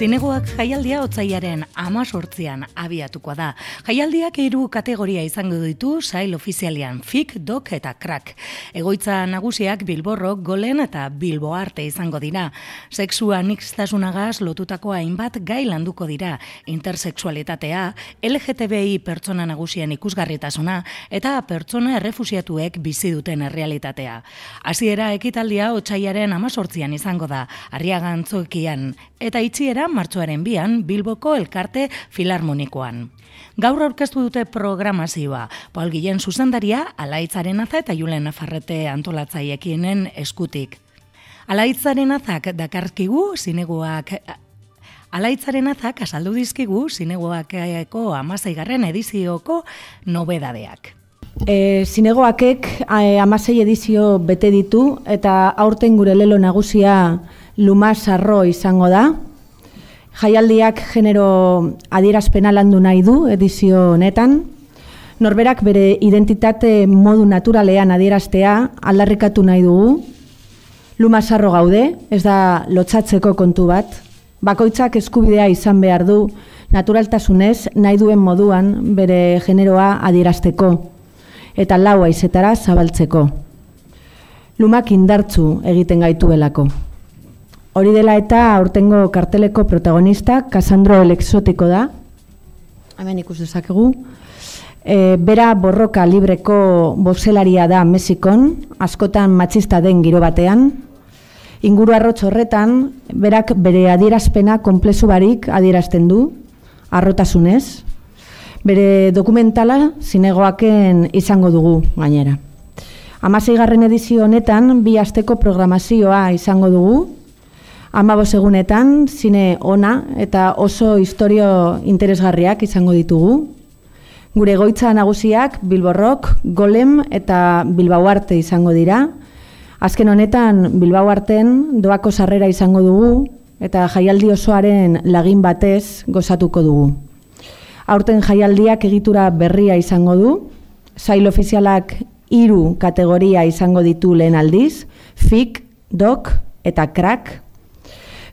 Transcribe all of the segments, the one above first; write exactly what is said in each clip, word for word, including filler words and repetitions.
Zinegoak jaialdia otsailaren hemezortzian abiatuko da. Jaialdiak hiru kategoria izango ditu sail ofizialean, Fik, Dok eta Crack. Egoitza nagusiak Bilborrok, Golen eta Bilbo Arte izango dira. Sexua aniztasunagaz lotutako hainbat gai landuko dira. Intersexualitatea, L G T B I pertsona nagusien ikusgarritasuna eta pertsona errefusiatuek bizi duten errealitatea. Hasiera ekitaldia otsailaren hemezortzian izango da, Arriaga Antzokian, eta itxiera martxoaren bian Bilboko Elkarte Filarmonikoan. Gaur aurkeztu dute programazioa, Paul Guillen zuzendaria, Alaitz Arenaza eta Julen Nafarrete antolatzailekienen eskutik. Alaitz Arenazak dakarkigu zinegoak Alaitz Arenazak azaldu dizkigu zinegoakeko hamaseigarren edizioko nobedadeak. E, zinegoakek hamasei edizio bete ditu eta aurten gure lelo nagusia Lumas Arro izango da. Jaialdiak genero adierazpena landu nahi du edizio honetan. Norberak bere identitate modu naturalean adieraztea aldarrikatu nahi dugu. Lumas Arro gaude, ez da lotsatzeko kontu bat. Bakoitzak eskubidea izan behar du naturaltasunez nahi duen moduan bere generoa adierazteko eta lau haizetara zabaltzeko. Lumak indartzu egiten gaituelako. Hori dela eta aurtengo karteleko protagonista Cassandro el Exotiko da. Hemen ikus dezakegu. E, bera borroka libreko boxelaria da Mexikon, askotan matxista den giro batean. Inguru arrotz horretan, berak bere adierazpena konplexu barik adierazten du, harrotasunez. Bere dokumentala zinegoaken izango dugu gainera. Hamaseigarren edizio honetan bi asteko programazioa izango dugu. Hamabost egunetan zine ona eta oso istorio interesgarriak izango ditugu. Gure egoitza nagusiak Bilborrok, Golem eta Bilbao Arte izango dira. Azken honetan Bilbao Arten doako sarrera izango dugu eta jaialdi osoaren lagin batez gozatuko dugu. Aurten jaialdiak egitura berria izango du, sail ofizialak hiru kategoria izango ditu lehen aldiz, Fik, Dok eta Crack.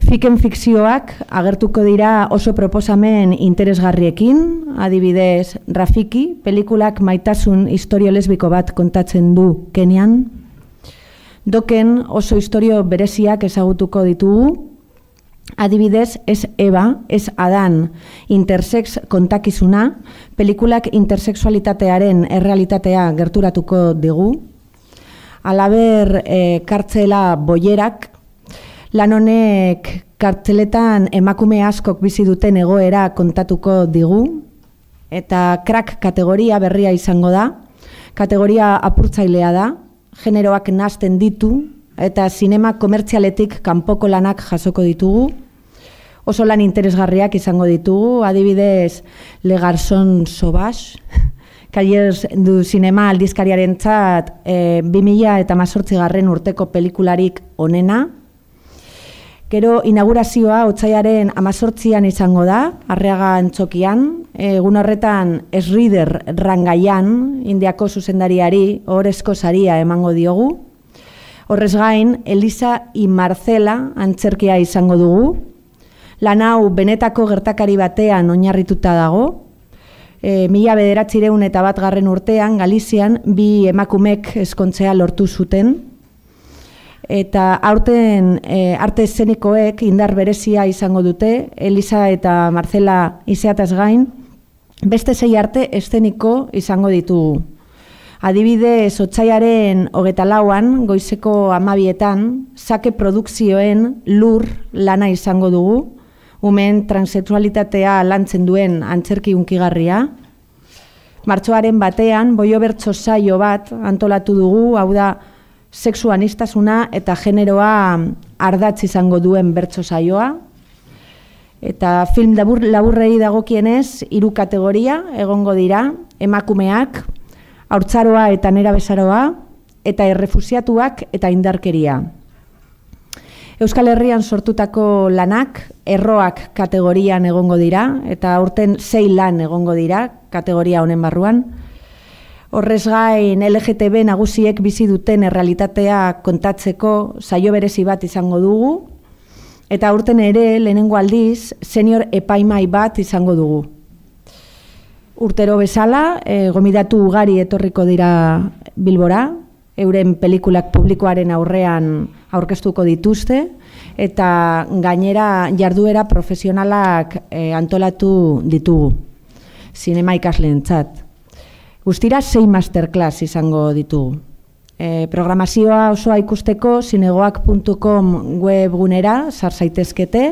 Fiken fikzioak agertuko dira oso proposamen interesgarriekin, adibidez Rafiki, pelikulak maitasun istorio lesbiko bat kontatzen du Kenian. Doken oso istorio bereziak ezagutuko ditugu, adibidez Ez Eba, Ez Adan, intersex kontakizuna, pelikulak intersexualitatearen errealitatea gerturatuko digu. Halaber, e, kartzela Boierak, lan honek kartzeletan emakume askok bizi duten egoera kontatuko digu, eta Crack kategoria berria izango da, kategoria apurtzailea da, generoak nahasten ditu, eta zinema komertzialetik kanpoko lanak jasoko ditugu. Oso lan interesgarriak izango ditugu, adibidez Le Garçon Sauvage, Kaiers du Zinema aldizkariaren txat e, bi mila hemezortzigarren urteko pelikularik onena. Gero inaugurazioa otsailaren hemezortzian izango da, Arriaga Antzokian, egun horretan Sridhar Rangaian, Indiako zuzendariari ohorezko saria emango diogu. Horrez gain, Elisa y Marcela antzerkia izango dugu. Lan hau benetako gertakari batean oinarrituta dago. E, mila bederatziehun eta bat garren urtean, Galizian, bi emakumek ezkontzea lortu zuten. Eta aurten e, arte eszenikoek indar berezia izango dute, Elisa eta Marcela izeataz gain, beste sei arte eszeniko izango ditugu. Adibidez, otsailaren hogeita lauan, goizeko hamabietan, Sake Produkzioen Lur lana izango dugu, umen transexualitatea lantzen duen antzerki hunkigarria. Martxoaren batean, Boio Bertso saio bat antolatu dugu, hau da, sexu aniztasuna eta generoa ardatz izango duen bertso saioa. Eta film labur, laburrei dagokienez, hiru kategoria egongo dira, emakumeak, haurtzaroa eta nerabezaroa, eta errefusiatuak eta indarkeria. Euskal Herrian sortutako lanak, erroak kategorian egongo dira, eta aurten sei lan egongo dira kategoria honen barruan. Horrez gain L G T B nagusiek bizi duten errealitatea kontatzeko saio berezi bat izango dugu, Eta aurten ere lehenengo aldiz senior epaimai bat izango dugu. Urtero bezala, e, gomidatu ugari etorriko dira Bilbora, euren pelikulak publikoaren aurrean aurkeztuko dituzte, eta gainera jarduera profesionalak e, antolatu ditugu, zinema ikasleentzat. Guztira sei masterclass izango ditugu. E, programazioa osoa ikusteko zinegoak puntu com webgunera sar zaitezkete.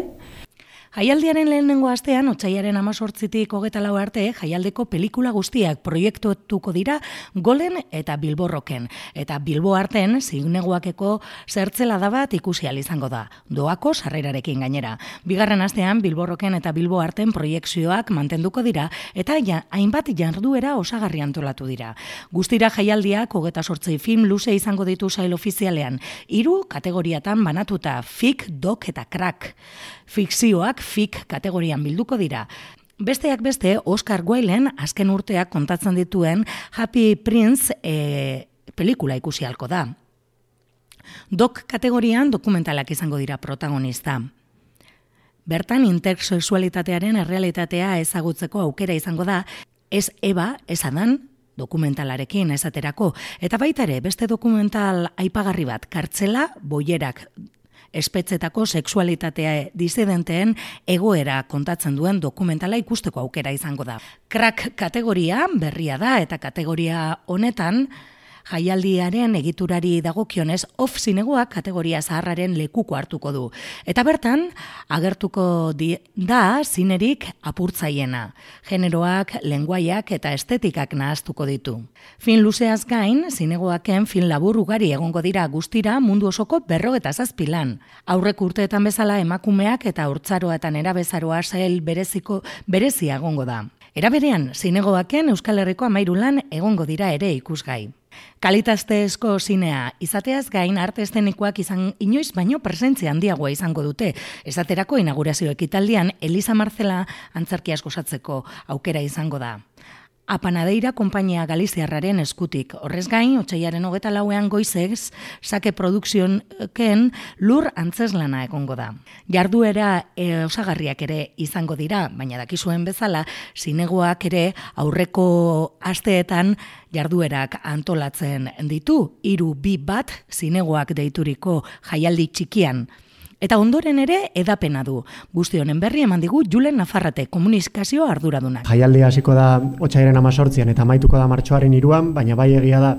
Jaialdiaren lehenengo astean, otsailaren hemezortzitik hogeita lau arte, jaialdeko pelikula guztiak proiektuatuko dira Golen eta Bilborroken. Eta Bilbo arten, zinegoakeko zertzelada bat ikusi ahal izango da, doako sarrerarekin gainera. Bigarren astean, Bilborroken eta Bilbo arten proiekzioak mantenduko dira, eta ja, hainbat jarduera osagarri antolatu dira. Guztira jaialdiak hogeita zortzi film luze izango ditu sail ofizialean, hiru kategoriatan banatuta, fik, dok eta crack. Fikzioak fik kategorian bilduko dira. Besteak beste, Oscar Wilden azken urteak kontatzen dituen Happy Prince e, pelikula ikusi ahalko da. Dok kategorian dokumentalak izango dira protagonista. Bertan intersexualitatearen errealitatea ezagutzeko aukera izango da, ez Eva, ez Adan, dokumentalarekin esaterako. Eta baita ere, beste dokumental aipagarri bat, Kartzela, boierak, espetzetako sexualitatea disidenteen egoera kontatzen duen dokumentala ikusteko aukera izango da. Crack kategoria berria da eta kategoria honetan jaialdiaren egiturari dagokionez off zinegoak kategoria zaharraren lekuko hartuko du. Eta bertan, agertuko di, da zinerik apurtzaiena. Generoak, lenguaiak eta estetikak nahaztuko ditu. Fin luzeaz gain, zinegoaken fin labur ugari egongo dira guztira mundu osoko berrogeta zazpi lan. Aurrek urteetan bezala emakumeak eta haurtzaroa eta nerabezaroa sail bereziko berezia egongo da. Era berean, zinegoaken Euskal Herriko hamahiru lan egongo dira ere ikusgai. Kalitatezko zinea izateaz gain arte eszenikoak izan inoiz baino presentzia handiagoa izango dute. Esaterako inaugurazio ekitaldian Elisa Marcela antzerkiaz gozatzeko aukera izango da. Apanadeira konpainia galiziarraren eskutik. Horrez gain, otsailaren hogeita lauean goizez, Sake Produkzioken lur antzeslana egongo da. Jarduera e, osagarriak ere izango dira, baina dakizuen bezala, zinegoak ere aurreko asteetan jarduerak antolatzen ditu, hiru bi bat zinegoak deituriko jaialdi txikian. Eta ondoren ere edapena du. Guzti honen berri eman digu Julen Nafarrate komunikazio arduradunak. Jaialdia hasiko da otsailaren hemezortzian eta amaituko da martxoaren hiruan, baina bai egia da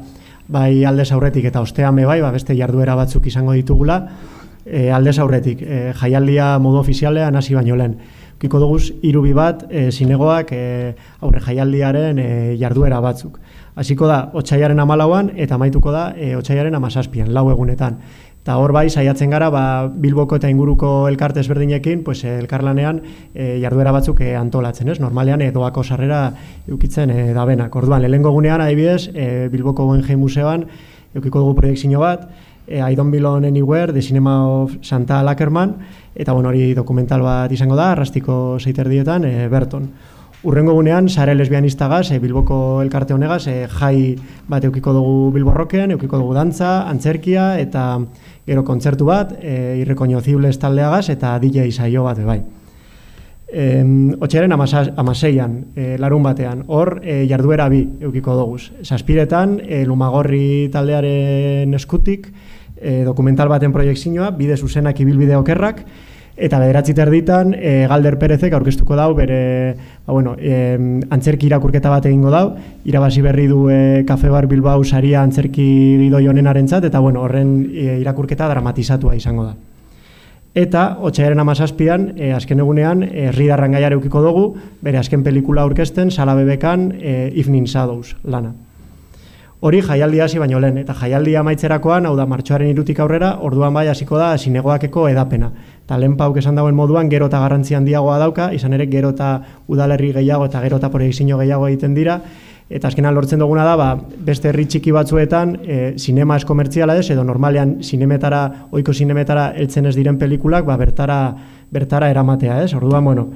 bai aldez aurretik eta ostean be bai, ba beste jarduera batzuk izango ditugula. E, aldez aurretik, e, jaialdia modu ofizialean hasi baino lehen. Ukiko dugu hiru bi bat e, zinegoak e, aurre jaialdiaren e, jarduera batzuk. Hasiko da otsailaren hamalauan eta amaituko da e, otsailaren hamazazpian, lau egunetan. Eta hor bai, saiatzen gara, ba, Bilboko eta inguruko elkarte ezberdinekin, pues, elkarlanean e, jarduera batzuk e, antolatzen, ez? Normalean e, doako sarrera eukitzen e, dabenak. Orduan, lehenengo gunean, adibidez, e, Bilboko Guggenheim Museoan eukiko dugu proiektzio bat, e, I Don't Belong Anywhere, The Cinema of Santa Lakerman, eta bueno, hori dokumental bat izango da, arrastiko zeiterdietan, e, Berton. Urrengo gunean, sare lesbianistagaz, e, Bilboko elkarte honegaz, e, jai bat eukiko dugu Bilborroken, eukiko dugu dantza, antzerkia, eta gero kontzertu bat, e, irrekonozibles taldeagaz, eta D J saio bat, bai. E, Otsailaren hamaseian, e, larun batean, hor e, jarduera bi eukiko dugu. Zazpiretan, e, Lumagorri taldearen eskutik, e, dokumental baten proiektzioa, bide zuzenak ibilbide okerrak, eta bederatzi terditan e, Galder Perezek aurkeztuko dau bere ba, bueno, e, antzerki irakurketa bat egingo dau, irabazi berri du e, Cafe Bar Bilbao saria antzerki gidoi honenarentzat, eta bueno, horren e, irakurketa dramatizatua izango da. Eta otsailaren hamazazpian, e, azken egunean, Herri Darrangaiar eukiko dugu, bere azken pelikula aurkezten, Sala Bebekan, e, Evening Shadows lana. Hori jaialdia hasi baino lehen, eta jaialdia amaitzerakoan, hau da martxoaren hirutik aurrera, orduan bai hasiko da zinegoakeko edapena. Eta lehen pauk esan dagoen moduan, gero eta garrantzi handiagoa dauka, izan ere gero eta udalerri gehiago eta gero eta proiektzio gehiago egiten dira, eta azkenan lortzen duguna da, ba, beste herri txiki batzuetan, e, sinema ez komertziala ez, edo normalean sinemetara, ohiko sinemetara heltzen ez diren pelikulak, ba, bertara, bertara eramatea ez, orduan, bueno,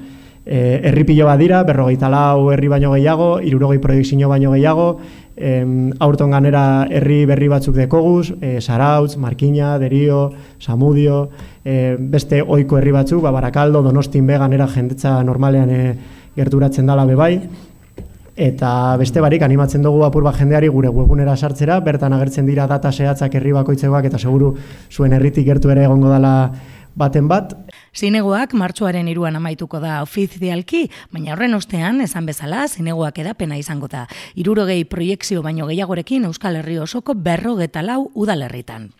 E, herri pilo bat dira, berrogeita lau herri baino gehiago, hirurogei proiektzio baino gehiago, em, aurton ganera herri berri batzuk dekoguz, e, Zarautz, Markina, Derio, Samudio, e, beste ohiko herri batzuk, ba, Barakaldo, Donostin be ganera jendetza normalean e, gerturatzen dala bebai, eta beste barik animatzen dugu apur bat jendeari gure webunera sartzera, bertan agertzen dira data zehatzak herri bakoitzekoak eta seguru zuen herritik gertu ere egongo dala baten bat. Zinegoak martxoaren hiruan amaituko da ofizialki, baina horren ostean, esan bezala, zinegoak edapena izango da. Hirurogei proiekzio baino gehiagorekin Euskal Herri osoko berrogeta lau udalerritan.